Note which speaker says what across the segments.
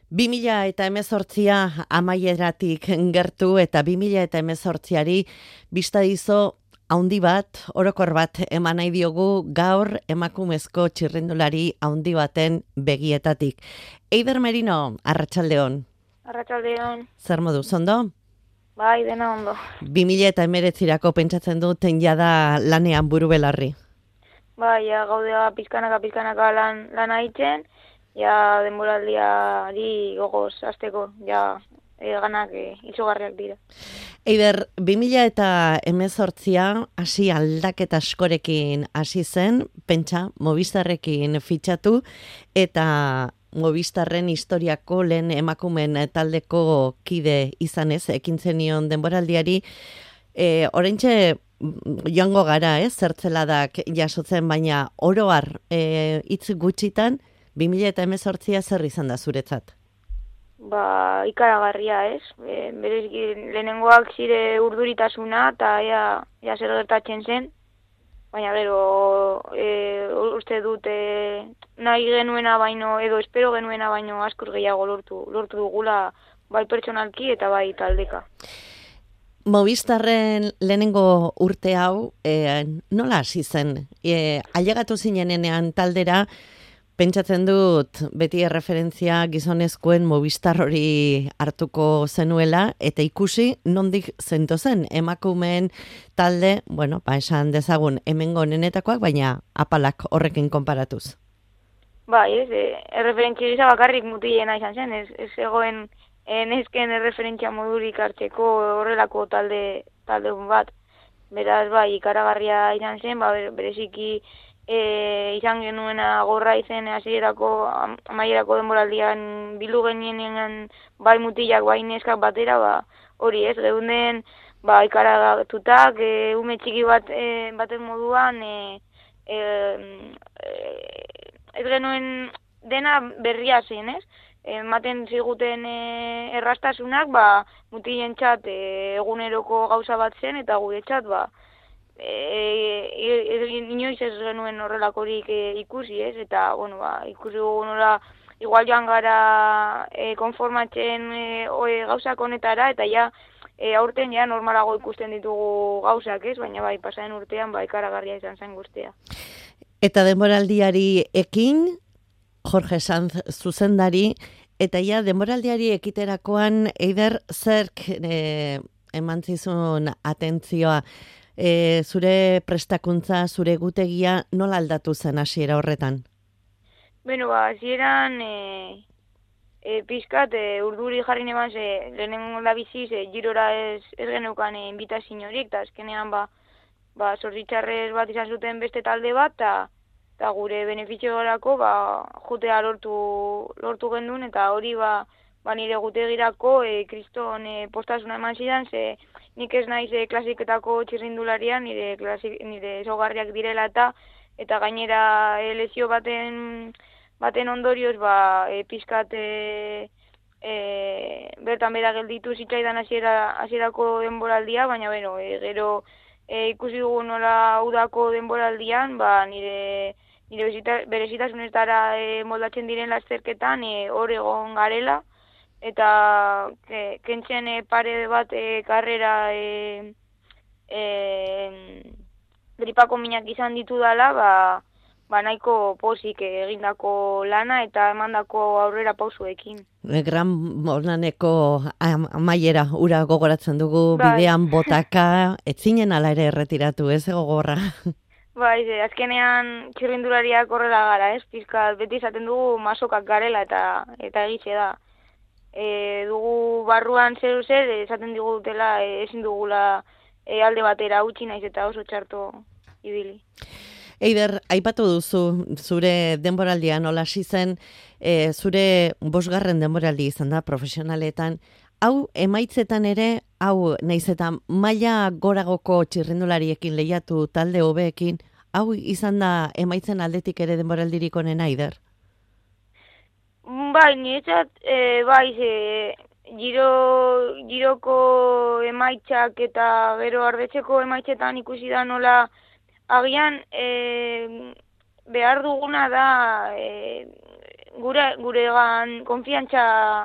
Speaker 1: 2018 amaieratik gertu eta 2018ari bista dizo haundi bat, orokor bat eman nahi diogu gaur emakumezko txirrindulari haundi baten begietatik. Eider Merino, arratsaldeon.
Speaker 2: Arratsaldeon.
Speaker 1: Zer moduz, ondo?
Speaker 2: Bai, dena ondo.
Speaker 1: 2019rako pentsatzen duten jada lanean buru belarri.
Speaker 2: Bai, ja, gaudea pizkanaka lana egiten, ja denboraldiari gogoz hasteko, ja ganak izugarriak dira.
Speaker 1: Eider, 2018 hasi aldaketa askorekin hasi zen, pentsa, Movistarrekin fitxatu, eta Movistarren historiako lehen emakumen taldeko kide izanez, ekin zenion denboraldiari, oraintxe joango gara, zertzeladak jasotzen, baina oroar hitz gutxitan, 2018 zer izan da zuretzat?
Speaker 2: Ba, ikaragarria, bereziki lehenengoak zire urduritasuna, eta ja zer gertatzen zen, baina gero uste dut nahi genuena baino, edo espero genuena baino askur gehiago lortu dugula, bai pertsonalki eta bai taldeka.
Speaker 1: Movistarren lehenengo urte hau, nola hasi zen? Ailegatu zinenean taldera, pentsatzen dut beti erreferentzia gizonezkoen Movistar hori hartuko zenuela, eta ikusi nondik zentozen emakumeen talde, bueno, esan dezagun hemengo nenetakoak, baina apalak horrekin konparatuz.
Speaker 2: Bai, erreferentzia gisa bakarrik mutilena izan zen, ez egoen nesken erreferentzia modurik hartzeko horrelako talde bat. Beraz, bai, ikaragarria izan zen, bereziki izan genuena gorra izen amaierako denboraldian bildu genienean bai mutilak, bai neskak batera, hori geunden ikaragatutak, ume txiki baten moduan, ez genuen dena berria zen, ematen ziguten errastasunak, mutilentzat eguneroko gauza bat zen, eta guretzat, inoiz ez genuen horrelakorik ikusi, eta, ikusi dugu nola, igual joan gara konformatzen gauzak honetara, eta aurten normalago ikusten ditugu gauzak, baina pasaren urtean ikaragarria izan zen guztia.
Speaker 1: Eta denboraldiari ekin, Jorge Sanz zuzendari, eta denboraldiari ekiterakoan, Eider, zerk eman zizun atentzioa, zure prestakuntza, zure gutegia, nola aldatu zen hasiera horretan?
Speaker 2: Beno, hasieran pizkat urduri jarri neban, lehenengo da biziz, girora ez geneukan inbitaziorik, eta azkenean zorritzarrez bat izan zuten beste talde bat, eta gure benefiziorako jutea lortu gendun, eta hori nire gutegirako kriston postasuna eman zidan, nik ez naiz klasiketako txirrindularian, nire ezogarriak direla eta gainera lesio baten ondorioz pizkat bertan bera gelditu zitzaidan hasierako denboraldia, baina gero ikusi dugu nola udako denboraldian, nire berezitasunetara moldatzen diren lasterketan hor egon garela, eta kentzen pare bat karrera gripako minak izan ditudala, nahiko pozik egindako lana eta emandako aurrera pausuekin.
Speaker 1: Gran Molnaneko amaiera ura gogoratzen dugu, bidean botaka, etzinen ala ere erretiratu, ez gogorra?
Speaker 2: Azkenean txirrindulariak horrela gara, pizkat beti izaten dugu masokak garela eta egitxe da. Dugu barruan zer esaten digutela ezin dugula alde batera utzi naiz eta oso txarto ibili.
Speaker 1: Eider, aipatu duzu zure denboraldian nola hasi zen, zure 5. denboraldi izan da profesionaletan, hau emaitzetan ere, hau naiz eta maila goragoko txirrindulariekin lehiatu talde hobeekin, hau izan da emaitzen aldetik ere denboraldirik onena, Eider?
Speaker 2: Niretzat, giroko emaitzak eta gero ardetzeko emaitzetan ikusi da nola agian behar duguna da guregan konfiantza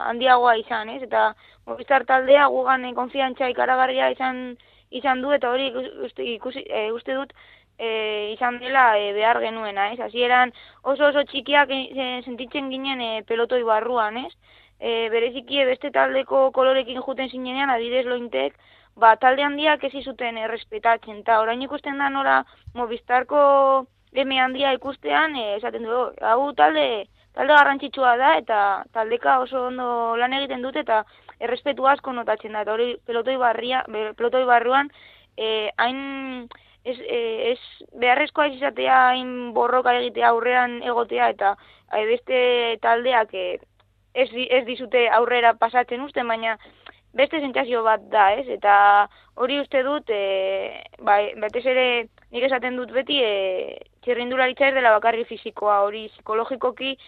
Speaker 2: handiagoa izan, ez? Eta Movistar taldea gugan konfiantza ikaragarria izan du, eta hori uste dut izan dela behar genuena, ez? Hasieran oso txikiak sentitzen ginen pelotoi barruan, ez? Bereziki beste taldeko kolorekin juten zinenean, adibidez Lointek, talde handiak ez izuten errespetatzen, eta orain ikusten da nola Movistarko eme handia ikustean, esaten du, hau talde garrantzitsua da, eta taldeka oso ondo lan egiten dute, eta errespetu asko notatzen da, eta hori pelotoi barruan, hain ez beharrezkoa izatea, hain borroka egitea aurrean egotea, eta beste taldeak ez dizute aurrera pasatzen usten, baina beste sentsazio bat da, ez? Eta hori uste dut, batez ere nik esaten dut beti, txirrindularitza ez dela bakarri fisikoa, hori psikologikoki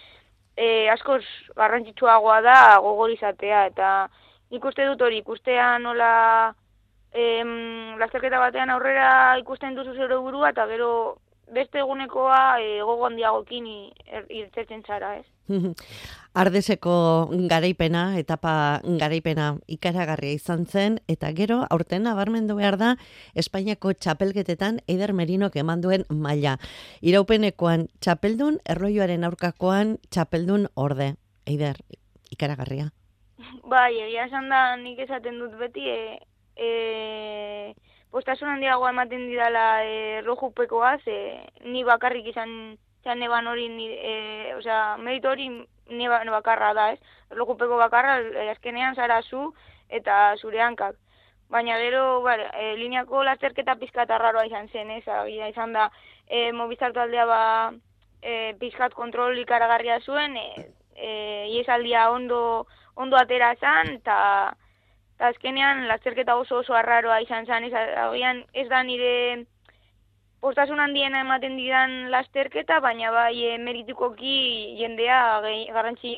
Speaker 2: askoz garrantzitsuagoa da gogor izatea, eta nik uste dut hori ikustea nola lasterketa batean aurrera ikusten duzu zure burua, eta gero beste egunekoa gogo handiagokin irtetzen zara, ez?
Speaker 1: Ardeseko garaipena, etapa garaipena ikaragarria izan zen, eta gero aurten nabarmendu behar da Espainiako txapelketetan Eider Merinok eman duen maila. Iraupenekoan txapeldun, erlojuaren aurkakoan txapeldun orde. Eider, ikaragarria.
Speaker 2: Bai, egia esan da nik esaten dut beti, postasun handiagoa ematen didala erlojupekoaz, ni bakarrik izan neban hori, meritu hori neba bakarra da, ez? Erlojupeko bakarra, azkenean zara zu eta zure hankak. Baina gero, lineako lasterketa pizkat arraroa izan zen, ez? Izan da, Movistar taldea pizkat kontrol ikaragarria zuen, iesaldia ondo atera zen, eta azkenean lasterketa oso arraroa izan zen, ez da nire postasun handiena ematen didan lasterketa, baina bai meritukoki jendea garrantzi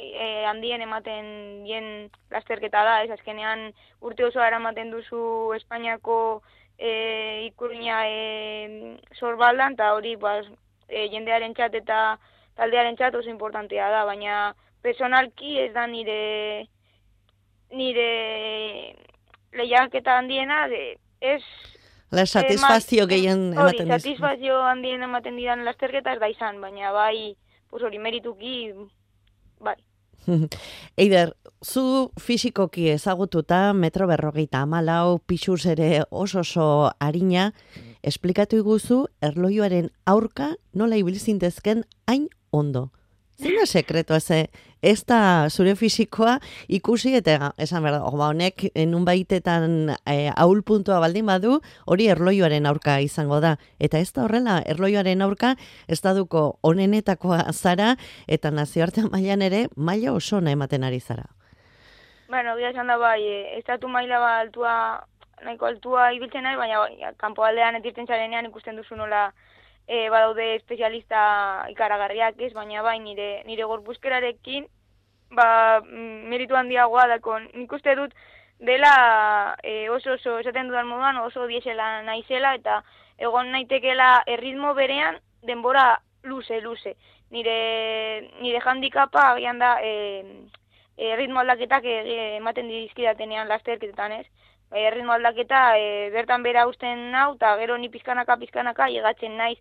Speaker 2: handien ematen dien lasterketa da, ez azkenean urte osoa eramaten duzu Espainiako ikurriña sorbaldan, eta hori jendearen txat eta taldearen txat oso importantea da, baina personalki ez da nire lehiaketa handiena, ez
Speaker 1: La satisfazio gehien ematen dizu.
Speaker 2: Satisfazio handien ematen didan lasterketa ez da izan, baina bai, hori merituki, bai.
Speaker 1: Eider, zu fisikoki ezagututa, 1,54 m, pixuz ere oso harina, esplikatu iguzu erlojuaren aurka nola ibilzintezken hain ondo. Zena sekretua ez da zure fisikoa ikusi, eta esan behar da, honek nun baitetan ahul puntua baldin badu, hori erlojuaren aurka izango da. Eta ez da horrela, erlojuaren aurka ez da duko onenetakoa zara, eta nazioartean mailan ere, maila oso ona ematen ari zara.
Speaker 2: Bueno, gira esan da bai, estatu maila nahiko altua ibiltzen nahi, baina kanpo aldean etirten zarenean ikusten duzu nola badaude espezialista ikaragarriak, ez, baina bai nire gorpuzkerarekin meritu handiagoa dako. Nik uste dut dela oso esaten dudan moduan oso diesela naizela, eta egon naitekela erritmo berean denbora luze. Nire handikapa agian da erritmo aldaketak ematen dizkidatenean lasterketetan, ez? Erritmo aldaketa bertan bera usten nau, eta gero ni pizkanaka llegatzen naiz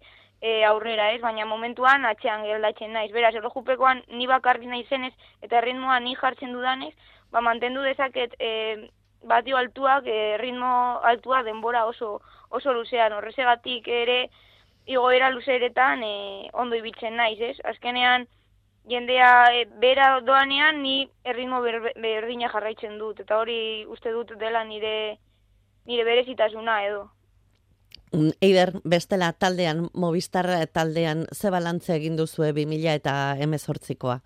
Speaker 2: aurrera, ez? Baina momentuan atxean geldatzen naiz. Beraz, erlojupekoan ni bakarri naizenez, eta erritmoa ni jartzen dudanez, mantendu dezaket batio altuak, ritmo altua denbora oso luzean. Horrezegatik ere igoera luzeretan ondo ibiltzen naiz, ez? Azkenean jendea bera doanean ni erritmo berdina jarraitzen dut, eta hori uste dut dela nire berezitasuna edo.
Speaker 1: Eider, bestela taldean, Movistar taldean, ze balantze egin duzue 2018koa?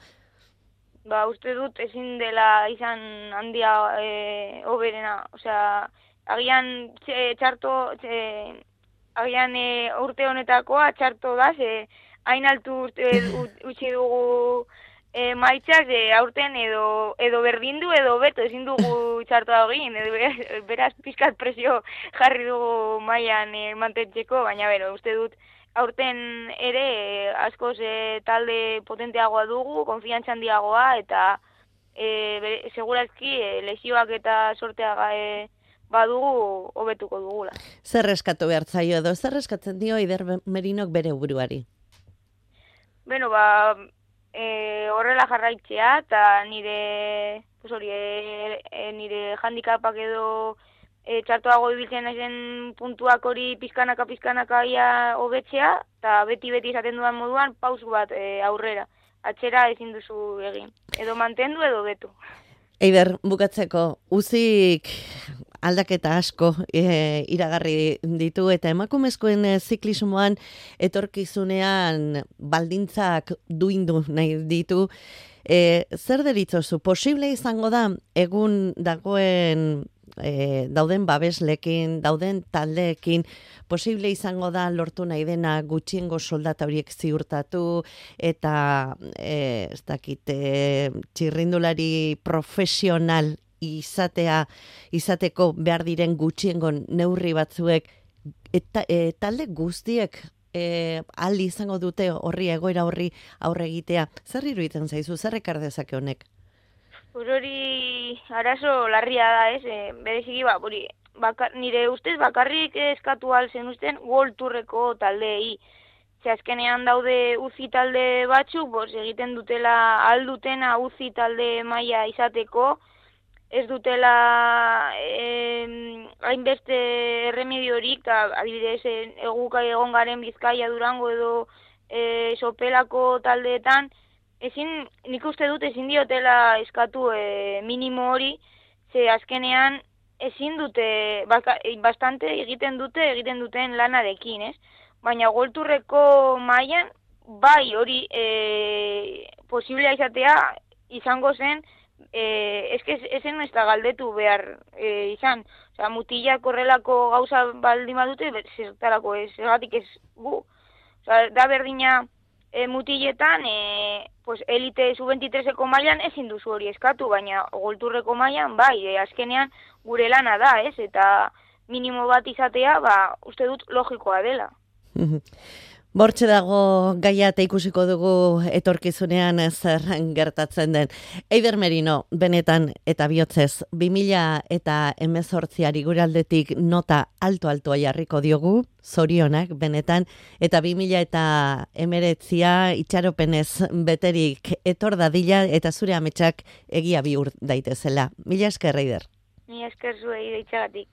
Speaker 2: Uste dut ezin dela izan handia hoberena, agian agian urte honetakoa txarto da, hain altu utzi dugu maitzak, aurten edo berdindu edo beto ezin dugu txartoa egin, beraz pizkat presio jarri dugu mailan mantentzeko, baina uste dut aurten ere askoz talde potenteagoa dugu, konfiantza handiagoa, eta segurazki lesioak eta sortea badugu hobetuko dugula.
Speaker 1: Zer eskatu behar zaio edo, zer eskatzen dio Eider Merinok bere buruari?
Speaker 2: Beno, horrela jarraitzea, eta nire nire handikapak edo txartoago ibiltzen naizen puntuak hori pizkanaka ia hobetzea, eta beti izaten dudan moduan pausu bat aurrera. Atxera ezin duzu egin. Edo mantendu edo betu.
Speaker 1: Eider, bukatzeko, uzik aldaketa asko iragarri ditu eta emakumezkoen ziklismoan etorkizunean baldintzak duindu nahi ditu. Zer deritzozu, posible izango da egun dagoen dauden babeslekin, dauden taldeekin, posible izango da lortu nahi dena gutxiengo soldata horiek ziurtatu eta ez dakit, txirrindulari profesional izateko behar diren gutxiengo neurri batzuek eta talde guztiek aldi izango dute egoera horri aurre egitea. Zer iruditzen zaizu, zer ekar dezake honek?
Speaker 2: Hori arazo larria da, ez? Bereziki, nire ustez bakarrik eskatu alzen usten World Tourreko taldeei. Azkenean daude uzi talde batzuk, egiten dutela aldutena uzi talde maila izateko, ez dutela hainbeste erremediorik, adibidez, eguka egon garen Bizkaia, Durango edo Sopelako taldeetan, nik uste dut ezin diotela eskatu minimo hori, ze azkenean ezin dute, bastante egiten duten lanarekin, ez? Baina golturreko mailan, bai hori posiblea izatea izango zen, ezen ez da galdetu behar izan. Osa, mutilak horrelako gauza baldin badute, zertarako ez, zergatik ez gu. Osa, da berdina mutiletan, elite sub-23eko mailan ezin duzu hori eskatu, baina golturreko mailan, bai, azkenean gure lana da, ez? Eta minimo bat izatea, uste dut logikoa dela.
Speaker 1: Bortxe dago gaia eta ikusiko dugu etorkizunean zer gertatzen den. Eider Merino, benetan eta bihotzez, 2018 gure aldetik nota altoa jarriko diogu, zorionak benetan, eta 2019 itxaropenez beterik etor dadila eta zure ametsak egia bihur daitezela. Mila esker, Eider.
Speaker 2: Mila esker zuei deitxagatik.